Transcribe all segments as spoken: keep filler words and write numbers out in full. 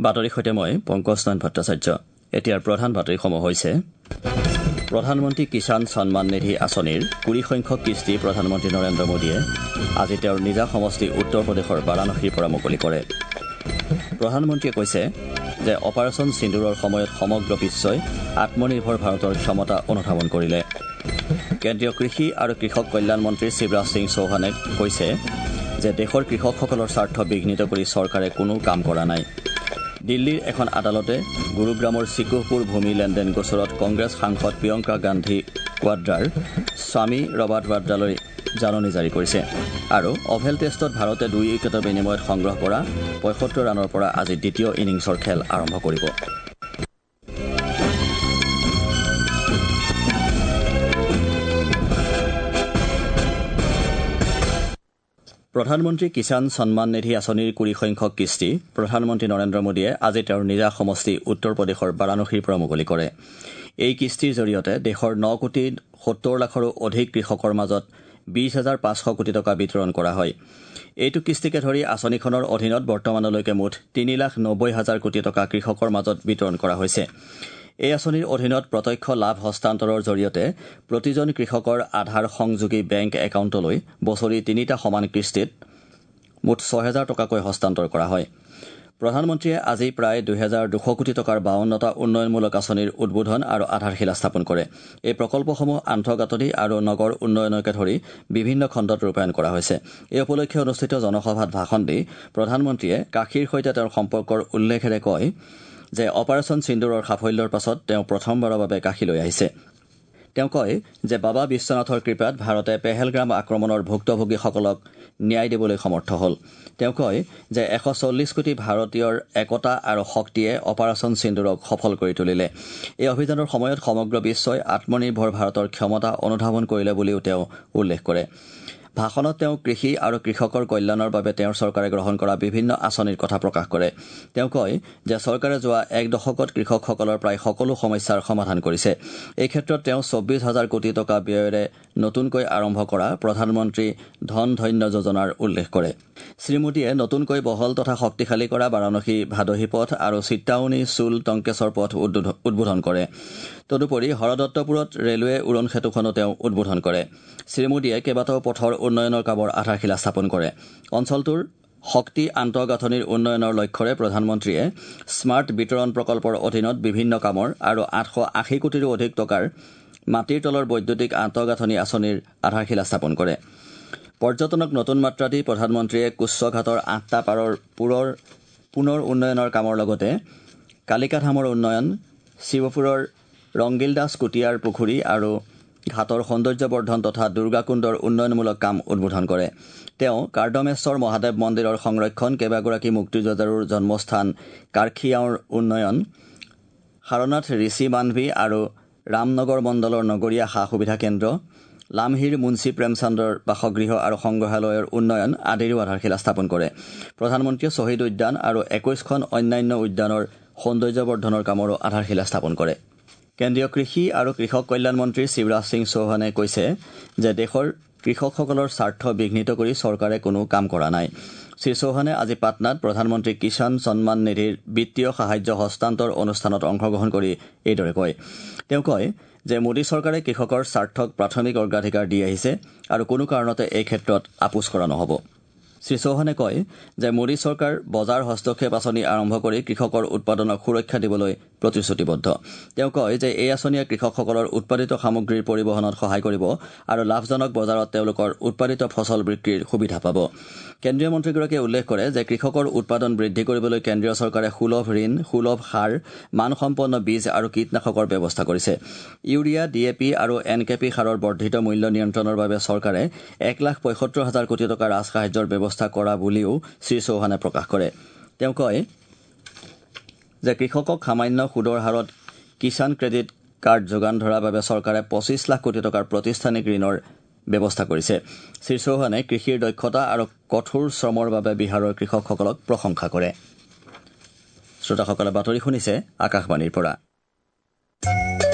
বাতৰিৰ সৈতে মই পংকজ নয়ন ভট্টাচাৰ্য। এতিয়াৰ প্ৰধান বাতৰিসমূহ হৈছে: প্ৰধানমন্ত্ৰী কিষাণ সন্মান নিধি আঁচনিৰ কুৰি সংখ্যক কিস্তি প্ৰধানমন্ত্ৰী নৰেন্দ্ৰ মোদীয়ে আজি তেওঁৰ নিজা সমষ্টি উত্তৰ প্ৰদেশৰ বাৰাণসীৰ পৰা মুকলি কৰে। প্ৰধানমন্ত্ৰীয়ে কৈছে যে অপাৰেচন সিন্দুৰৰ সময়ত সমগ্ৰ বিশ্বই আত্মনিৰ্ভৰ ভাৰতৰ ক্ষমতা অনুধাৱন কৰিলে। কেন্দ্ৰীয় কৃষি আৰু কৃষক কল্যাণ মন্ত্ৰী শিৱৰাজ সিং চৌহানে কৈছে যে দেশৰ কৃষকসকলৰ স্বাৰ্থ বিঘ্নিত কৰি চৰকাৰে কোনো কাম কৰা নাই। দিল্লীৰ এখন আদালতে গুৰুগ্ৰামৰ চিকুহপুৰ ভূমি লেনদেন গোচৰত কংগ্ৰেছ সাংসদ প্ৰিয়ংকা গান্ধী কোৱাড্ৰাৰ স্বামী ৰবাৰ্ট ৱাড্ৰালৈ জাননী জাৰি কৰিছে। আৰু অভেল টেষ্টত ভাৰতে দুই উইকেটৰ বিনিময়ত সংগ্ৰহ কৰা পঁয়সত্তৰ ৰানৰ পৰা আজি দ্বিতীয় ইনিংছৰ খেল আৰম্ভ কৰিব। প্ৰধানমন্ত্ৰী কিষাণ সন্মান নিধি আঁচনিৰ কুৰি সংখ্যক কিস্তি প্ৰধানমন্ত্ৰী নৰেন্দ্ৰ মোদীয়ে আজি তেওঁৰ নিজা সমষ্টি উত্তৰ প্ৰদেশৰ বাৰাণসীৰ পৰা মুকলি কৰে। এই কিস্তিৰ জৰিয়তে দেশৰ ন কোটি সত্তৰ লাখৰো অধিক কৃষকৰ মাজত বিশ হাজাৰ পাঁচশ কোটি টকা বিতৰণ কৰা হয়। এইটো কিস্তিকে ধৰি আঁচনিখনৰ অধীনত বৰ্তমানলৈকে মুঠ তিনি লাখ নব্বৈ হাজাৰ কোটি টকা কৃষকৰ মাজত বিতৰণ কৰা হৈছে। এই আঁচনিৰ অধীনত প্ৰত্যক্ষ লাভ হস্তান্তৰৰ জৰিয়তে প্ৰতিজন কৃষকৰ আধাৰ সংযোগী বেংক একাউণ্টলৈ বছৰি তিনিটা সমান কিস্তিত মুঠ ছহেজাৰ টকাকৈ হস্তান্তৰ কৰা হয়। প্ৰধানমন্ত্ৰীয়ে আজি প্ৰায় দুহেজাৰ দুশ কোটি টকাৰ বাৱন্নটা উন্নয়নমূলক আঁচনিৰ উদ্বোধন আৰু আধাৰশিলা স্থাপন কৰে। এই প্ৰকল্পসমূহ আন্তঃগাঁথনি আৰু নগৰ উন্নয়নকে ধৰি বিভিন্ন খণ্ডত ৰূপায়ণ কৰা হৈছে। এই উপলক্ষে অনুষ্ঠিত জনসভাত ভাষণ দি প্ৰধানমন্ত্ৰীয়ে কাশীৰ সৈতে তেওঁৰ সম্পৰ্কৰ উল্লেখেৰে কয় যে অপাৰেচন সিন্দুৰৰ সাফল্যৰ পাছত তেওঁ প্ৰথমবাৰৰ বাবে কাশীলৈ আহিছে। তেওঁ কয় যে বাবা বিশ্বনাথৰ কৃপাত ভাৰতে পেহেলগ্ৰাম আক্ৰমণৰ ভুক্তভোগীসকলক ন্যায় দিবলৈ সমৰ্থ হ'ল। তেওঁ কয় যে এশ চল্লিছ কোটি ভাৰতীয়ৰ একতা আৰু শক্তিয়ে অপাৰেচন সিন্দুৰক সফল কৰি তুলিলে। এই অভিযানৰ সময়ত সমগ্ৰ বিশ্বই আত্মনিৰ্ভৰ ভাৰতৰ ক্ষমতা অনুধাৱন কৰিলে বুলিও তেওঁ উল্লেখ কৰে। ভাষণত তেওঁ কৃষি আৰু কৃষকৰ কল্যাণৰ বাবে তেওঁৰ চৰকাৰে গ্ৰহণ কৰা বিভিন্ন আঁচনিৰ কথা প্ৰকাশ কৰে। তেওঁ কয় যে চৰকাৰে যোৱা এক দশকত কৃষকসকলৰ প্ৰায় সকলো সমস্যাৰ সমাধান কৰিছে। এই ক্ষেত্ৰত তেওঁ চৌব্বিছ হাজাৰ কোটি টকা ব্যয়েৰে নতুনকৈ আৰম্ভ কৰা প্ৰধানমন্ত্ৰী ধন ধন্য যোজনাৰ উল্লেখ কৰে। শ্ৰীমোদীয়ে নতুনকৈ বহল তথা শক্তিশালী কৰা বাৰাণসী ভাদহী পথ আৰু চিত্তাউনী চুল টংকেশ্বৰ পথ উদ্বোধন কৰে। তদুপৰি হৰদত্তপুৰত ৰেলৱে উৰণ সেতুখনো তেওঁ উদ্বোধন কৰে। শ্ৰীমোদীয়ে কেইবাটাও পথৰ উন্নয়নৰ কামৰ আধাৰশিলা স্থাপন কৰে। অঞ্চলটোৰ শক্তি আন্তঃগাঁথনিৰ উন্নয়নৰ লক্ষ্যৰে প্ৰধানমন্ত্ৰীয়ে স্মাৰ্ট বিতৰণ প্ৰকল্পৰ অধীনত বিভিন্ন কামৰ আৰু আঠশ আশী কোটিৰো অধিক টকাৰ মাটিৰ তলৰ বৈদ্যুতিক আন্তঃগাঁথনি আঁচনিৰ আধাৰশিলা স্থাপন কৰে। পৰ্যটনক নতুন মাত্ৰা দি প্ৰধানমন্ত্ৰীয়ে কুচ্চঘাটৰ আঠটা পাৰৰ পুৰৰ পুনৰ উন্নয়নৰ কামৰ লগতে কালিকাধামৰ উন্নয়ন, শিৱপুৰৰ ৰংগিলদাস কুটিয়াৰ পুখুৰী আৰু ঘাটৰ সৌন্দৰ্যবৰ্ধন তথা দুৰ্গাকুণ্ডৰ উন্নয়নমূলক কাম উদ্বোধন কৰে। তেওঁ কাৰ্দমেশ্বৰ মহাদেৱ মন্দিৰৰ সংৰক্ষণ, কেইবাগৰাকী মুক্তিযোদ্ধাৰ জন্মস্থান কাৰ্খিয়াওৰ উন্নয়ন, সাৰনাথ ঋষি মানভি আৰু ৰামনগৰ মণ্ডলৰ নগৰীয়া সা সুবিধা কেন্দ্ৰ, লামহিৰ মুন্সী প্ৰেমচান্দৰ বাসগৃহ আৰু সংগ্ৰহালয়ৰ উন্নয়ন আদিৰো আধাৰশিলা স্থাপন কৰে। প্ৰধানমন্ত্ৰীয়ে শ্বহীদ উদ্যান আৰু একৈশখন অন্যান্য উদ্যানৰ সৌন্দৰ্যবৰ্ধনৰ কামৰো আধাৰশিলা স্থাপন কৰে। কেন্দ্ৰীয় কৃষি আৰু কৃষক কল্যাণ মন্ত্ৰী শিৱৰাজ সিং চৌহানে কৈছে যে দেশৰ কৃষকসকলৰ স্বাৰ্থ বিঘ্নিত কৰি চৰকাৰে কোনো কাম কৰা নাই। শ্ৰীচৌহানে আজি পাটনাত প্ৰধানমন্ত্ৰী কিষাণ সন্মান নিধিৰ বিত্তীয় সাহায্য হস্তান্তৰ অনুষ্ঠানত অংশগ্ৰহণ কৰি এইদৰে কয়। তেওঁ কয় যে মোদী চৰকাৰে কৃষকৰ স্বাৰ্থক প্ৰাথমিক অগ্ৰাধিকাৰ দি আহিছে আৰু কোনো কাৰণতে এই ক্ষেত্ৰত আপোচ কৰা নহ'ব। শ্ৰীচৌহানে কয় যে মোদী চৰকাৰ বজাৰ হস্তক্ষেপ আঁচনি আৰম্ভ কৰি কৃষকৰ উৎপাদনক সুৰক্ষা দিবলৈ প্ৰতিশ্ৰুতিবদ্ধ। তেওঁ কয় যে এই আঁচনিয়ে কৃষকসকলৰ উৎপাদিত সামগ্ৰীৰ পৰিবহণত সহায় কৰিব আৰু লাভজনক বজাৰত তেওঁলোকৰ উৎপাদিত ফচল বিক্ৰীৰ সুবিধা পাব। কেন্দ্ৰীয় মন্ত্ৰীগৰাকীয়ে উল্লেখ কৰে যে কৃষকৰ উৎপাদন বৃদ্ধি কৰিবলৈ কেন্দ্ৰীয় চৰকাৰে সুলভ ঋণ, সুলভ সাৰ, মানসম্পন্ন বীজ আৰু কীটনাশকৰ ব্যৱস্থা কৰিছে। ইউৰিয়া, ডি এ পি আৰু এন কে পি সাৰৰ বৰ্ধিত মূল্য নিয়ন্ত্ৰণৰ বাবে চৰকাৰে এক লাখ পঁয়সত্তৰ হাজাৰ কোটি টকা ৰাজসাহায্যৰ ব্যৱস্থা কৰা বুলিও শ্ৰীচৌহানে প্ৰকাশ কৰে। তেওঁ কয় যে কৃষকক সামান্য সুদৰ হাৰত কিষাণ ক্ৰেডিট কাৰ্ড যোগান ধৰাৰ বাবে চৰকাৰে পঁচিছ লাখ কোটি টকাৰ প্ৰতিষ্ঠানিক ঋণৰ ব্যৱস্থা কৰিছে। শ্ৰীচৌহানে কৃষিৰ দক্ষতা আৰু কঠোৰ শ্ৰমৰ বাবে বিহাৰৰ কৃষকসকলক প্ৰশংসা কৰে। শ্ৰোতাসকলে বাতৰি শুনিছে আকাশবাণীৰ পৰা।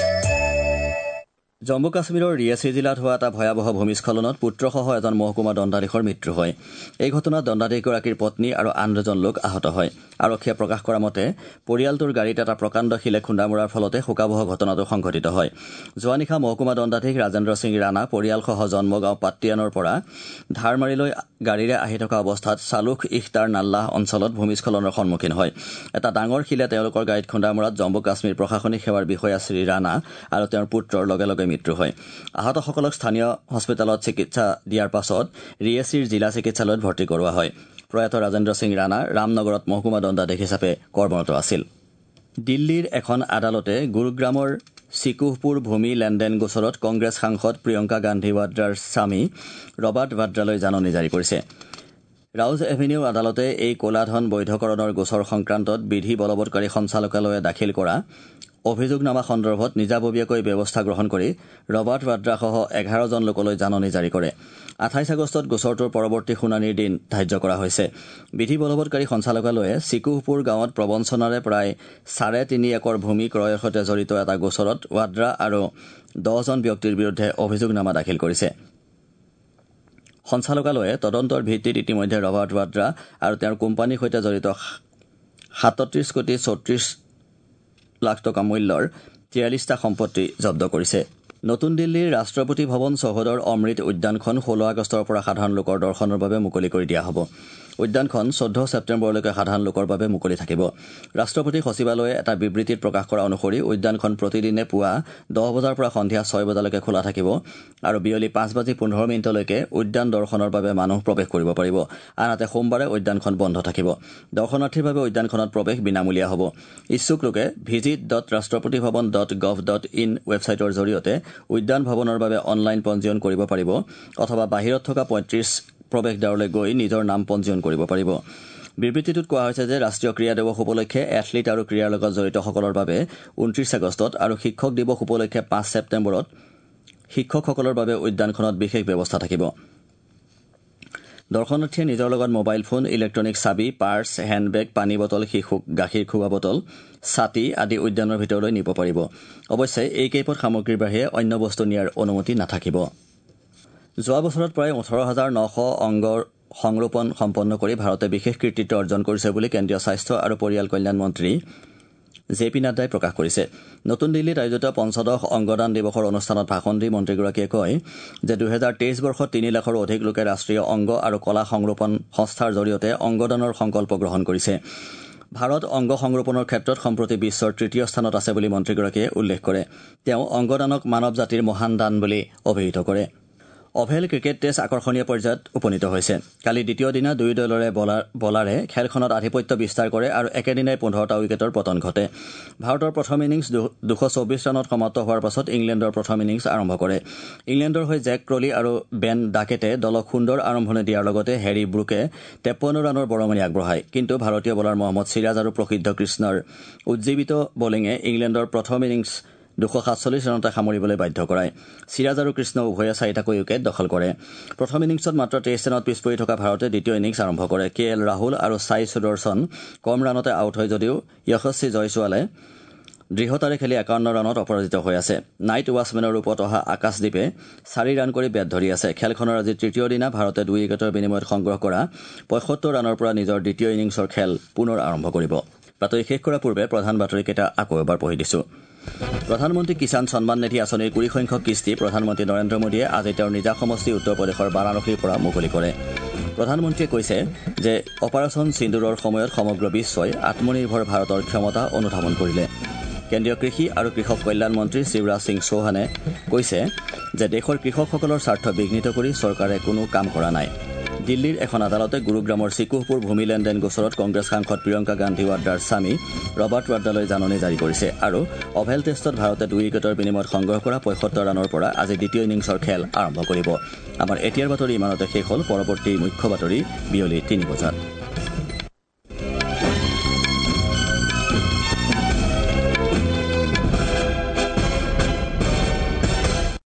জম্মু কাশ্মীৰৰ ৰিয়াছি জিলাত হোৱা এটা ভয়াৱহ ভূমিস্খলনত পুত্ৰসহ এজন মহকুমা দণ্ডাধীশৰ মৃত্যু হয়। এই ঘটনাত দণ্ডাধীশগৰাকীৰ পত্নী আৰু আন দুজন লোক আহত হয়। আৰক্ষীয়ে প্ৰকাশ কৰা মতে পৰিয়ালটোৰ গাড়ীত এটা প্ৰকাণ্ড শিলে খুন্দা মৰাৰ ফলতে শোকাৱহ ঘটনাটো সংঘটিত হয়। যোৱা নিশা মহকুমা দণ্ডাধীশ ৰাজেন্দ্ৰ সিং ৰাণা পৰিয়ালসহ জন্মগাঁও পাট্টিয়ানৰ পৰা ধাৰমাৰীলৈ গাড়ীৰে আহি থকা অৱস্থাত চালুখ ইখতাৰ নাল্লাহ অঞ্চলত ভূমিস্খলনৰ সন্মুখীন হয়। এটা ডাঙৰ শিলে তেওঁলোকৰ গাড়ীত খুন্দা মৰাত জম্মু কাশ্মীৰ প্ৰশাসনিক সেৱাৰ বিষয়া শ্ৰী ৰাণা আৰু তেওঁৰ পুত্ৰৰ লগে লগে মৃত্যু হয়। আহতসকলক স্থানীয় হস্পিতালত চিকিৎসা দিয়াৰ পাছত ৰিয়েছিৰ জিলা চিকিৎসালয়ত ভৰ্তি কৰোৱা হয়। প্ৰয়াত ৰাজেন্দ্ৰ সিং ৰাণা ৰামনগৰত মহকুমা দণ্ডাধীশ হিচাপে কৰ্মৰত আছিল। দিল্লীৰ এখন আদালতে গুৰুগ্ৰামৰ চিকুহপুৰ ভূমি লেনদেন গোচৰত কংগ্ৰেছ সাংসদ প্ৰিয়ংকা গান্ধী ৱাদ্ৰাৰ স্বামী ৰবাৰ্ট ভাদ্ৰালৈ জাননী জাৰি কৰিছে। ৰাউজ এভিনিউ আদালতে এই ক'লা ধন বৈধকৰণৰ গোচৰ সংক্ৰান্তত বিধি বলবৎকাৰী সঞ্চালকালয়ে দাখিল কৰা অভিযোগনামা সন্দৰ্ভত নিজাববীয়াকৈ ব্যৱস্থা গ্ৰহণ কৰি ৰবাৰ্ট ভাদ্ৰাসহ এঘাৰজন লোকলৈ জাননী জাৰি কৰে। আঠাইছ আগষ্টত গোচৰটোৰ পৰৱৰ্তী শুনানিৰ দিন ধাৰ্য কৰা হৈছে। বিধি বলবৎকাৰী সঞ্চালকালয়ে চিকুহপুৰ গাঁৱত প্ৰবঞ্চনাৰে প্ৰায় চাৰে তিনি একৰ ভূমি ক্ৰয়ৰ সৈতে জড়িত এটা গোচৰত ৱাদ্ৰা আৰু দহজন ব্যক্তিৰ বিৰুদ্ধে অভিযোগনামা দাখিল কৰিছে। সঞ্চালকালয়ে তদন্তৰ ভিত্তিত ইতিমধ্যে ৰবাৰ্ট ৱাদ্ৰা আৰু তেওঁৰ কোম্পানীৰ সৈতে জড়িত সাতত্ৰিশ কোটি চৌত্ৰিশ লাখ টকা মূল্যৰ তিয়াল্লিছটা সম্পত্তি জব্দ কৰিছে। নতুন দিল্লীৰ ৰাষ্ট্ৰপতি ভৱন চৌহদৰ অমৃত উদ্যানখন ষোল্ল আগষ্টৰ পৰা সাধাৰণ লোকৰ দৰ্শনৰ বাবে মুকলি কৰি দিয়া হ'ব। উদ্যানখন চৈধ্য ছেপ্টেম্বৰলৈকে সাধাৰণ লোকৰ বাবে মুকলি থাকিব। ৰাষ্ট্ৰপতি সচিবালয়ে এটা বিবৃতিত প্ৰকাশ কৰা অনুসৰি উদ্যানখন প্ৰতিদিনে পুৱা দহ বজাৰ পৰা সন্ধিয়া ছয় বজালৈকে খোলা থাকিব আৰু বিয়লি পাঁচ বাজি পোন্ধৰ মিনিটলৈকে উদ্যান দৰ্শনৰ বাবে মানুহ প্ৰৱেশ কৰিব পাৰিব। আনহাতে সোমবাৰে উদ্যানখন বন্ধ থাকিব। দৰ্শনাৰ্থীৰ বাবে উদ্যানখনত প্ৰৱেশ বিনামূলীয়া হ'ব। ইচ্ছুক লোকে visit dot Rashtrapati Bhavan dot gov dot in ৱেবছাইটৰ জৰিয়তে উদ্যান ভৱনৰ বাবে অনলাইন পঞ্জীয়ন কৰিব পাৰিব অথবা বাহিৰত থকা পঁয়ত্ৰিশ প্ৰৱেশদ্বাৰলৈ গৈ নিজৰ নাম পঞ্জীয়ন কৰিব পাৰিব। বিবৃতিটোত কোৱা হৈছে যে ৰাষ্ট্ৰীয় ক্ৰীড়া দিৱস উপলক্ষে এথলীট আৰু ক্ৰীড়াৰ লগত জড়িতসকলৰ বাবে ঊনত্ৰিশ আগষ্টত আৰু শিক্ষক দিৱস উপলক্ষে পাঁচ ছেপ্টেম্বৰত শিক্ষকসকলৰ বাবে উদ্যানখনত বিশেষ ব্যৱস্থা থাকিব। দৰ্শনাৰ্থীয়ে নিজৰ লগত মোবাইল ফোন, ইলেক্ট্ৰনিক চাবি, পাৰ্চ, হেণ্ডবেগ, পানী বটল, শিশুক গাখীৰ খুওৱা বটল, ছাতি আদি উদ্যানৰ ভিতৰলৈ নিব পাৰিব। অৱশ্যে এই কেইপদ সামগ্ৰীৰ বাহিৰে অন্য বস্তু নিয়াৰ অনুমতি নাথাকিব। যোৱা বছৰত প্ৰায় ওঠৰ হাজাৰ নশ অংগৰ সংৰোপণ সম্পন্ন কৰি ভাৰতে বিশেষ কৃতিত্ব অৰ্জন কৰিছে বুলি কেন্দ্ৰীয় স্বাস্থ্য আৰু পৰিয়াল কল্যাণ মন্ত্ৰী জে পি নাড্ডাই প্ৰকাশ কৰিছে। নতুন দিল্লীত আয়োজিত পঞ্চদশ অংগদান দিৱসৰ অনুষ্ঠানত ভাষণ দি মন্ত্ৰীগৰাকীয়ে কয় যে দুহেজাৰ তেইছ বৰ্ষত তিনি লাখৰো অধিক লোকে ৰাষ্ট্ৰীয় অংগ আৰু কলা সংৰোপণ সংস্থাৰ জৰিয়তে অংগদানৰ সংকল্প গ্ৰহণ কৰিছে। ভাৰত অংগ সংৰোপণৰ ক্ষেত্ৰত সম্প্ৰতি বিশ্বৰ তৃতীয় স্থানত আছে বুলি মন্ত্ৰীগৰাকীয়ে উল্লেখ কৰে। তেওঁ অংগদানক মানৱ জাতিৰ মহান দান বুলি অভিহিত কৰে। অভেল ক্ৰিকেট টেষ্ট আকৰ্ষণীয় পৰ্যায়ত উপনীত হৈছে। কালি দ্বিতীয় দিনা দুয়ো দলৰে বলাৰে খেলখনত আধিপত্য বিস্তাৰ কৰে আৰু একেদিনাই পোন্ধৰটা উইকেটৰ পতন ঘটে। ভাৰতৰ প্ৰথম ইনিংছ দুশ চৌবিছ ৰানত সমাপ্ত হোৱাৰ পাছত ইংলেণ্ডৰ প্ৰথম ইনিংছ আৰম্ভ কৰে। ইংলেণ্ডৰ হৈ জেক ক্ৰলি আৰু বেন ডাকেটে দলক সুন্দৰ আৰম্ভণি দিয়াৰ লগতে হেৰী ব্ৰুকে তেপন্ন ৰানৰ বৰঙণি আগবঢ়ায়। কিন্তু ভাৰতীয় বলাৰ মহম্মদ চিৰাজ আৰু প্ৰসিদ্ধ কৃষ্ণৰ উজ্জীৱিত বলিঙে ইংলেণ্ডৰ প্ৰথম ইনিংছ দুশ সাতচল্লিছ ৰানতে সামৰিবলৈ বাধ্য কৰায়। চিৰাজ আৰু কৃষ্ণ উভয়ে চাৰিটাকৈ উইকেট দখল কৰে। প্ৰথম ইনিংছত মাত্ৰ তেইছ ৰানত পিছ পৰি থকা ভাৰতে দ্বিতীয় ইনিংছ আৰম্ভ কৰে। কে এল ৰাহুল আৰু ছাই সুদৰ্শন কম ৰানতে আউট হয় যদিও যশস্বী জয়ছোৱালে দৃঢ়তাৰে খেলি একাৱন্ন ৰানত অপৰাজিত হৈ আছে। নাইট ৱাছমেনৰ ৰূপত অহা আকাশদ্বীপে চাৰি ৰান কৰি বেট ধৰি আছে। খেলখনৰ আজি তৃতীয় দিনা ভাৰতে দুই উইকেটৰ বিনিময়ত সংগ্ৰহ কৰা পঁয়সত্তৰ ৰানৰ পৰা নিজৰ দ্বিতীয় ইনিংছৰ খেল পুনৰ আৰম্ভ কৰিব। বাতৰি শেষ কৰাৰ পূৰ্বে প্ৰধান বাতৰিকেইটা আকৌ এবাৰ পঢ়ি দিছো। প্ৰধানমন্ত্ৰী কিষাণ সন্মান নিধি আঁচনিৰ কুৰি সংখ্যক কিস্তি প্ৰধানমন্ত্ৰী নৰেন্দ্ৰ মোদীয়ে আজি তেওঁৰ নিজা সমষ্টি উত্তৰ প্ৰদেশৰ বাৰাণসীৰ পৰা মুকলি কৰে। প্ৰধানমন্ত্ৰীয়ে কৈছে যে অপাৰেচন সিন্দুৰৰ সময়ত সমগ্ৰ বিশ্বই আত্মনিৰ্ভৰ ভাৰতৰ ক্ষমতা অনুধাৱন কৰিলে। কেন্দ্ৰীয় কৃষি আৰু কৃষক কল্যাণ মন্ত্ৰী শিৱৰাজ সিং চৌহানে কৈছে যে দেশৰ কৃষকসকলৰ স্বাৰ্থ বিঘ্নিত কৰি চৰকাৰে কোনো কাম কৰা নাই। দিল্লীৰ এখন আদালতে গুৰুগ্ৰামৰ চিকুহপুৰ ভূমি লেনদেন গোচৰত কংগ্ৰেছ সাংসদ প্ৰিয়ংকা গান্ধী ৱাদ্ৰাৰ স্বামী ৰবাৰ্ট ৱাদ্ৰালৈ জাননী জাৰি কৰিছে আৰু অভেল টেষ্টত ভাৰতে দুই উইকেটৰ বিনিময়ত সংগ্ৰহ কৰা পঁয়সত্তৰ ৰানৰ পৰা আজি দ্বিতীয় ইনিংছৰ খেল আৰম্ভ কৰিব। আমাৰ এতিয়াৰ বাতৰি ইমানতে শেষ হ'ল। পৰৱৰ্তী মুখ্য বাতৰি বিয়লি তিনি বজাত।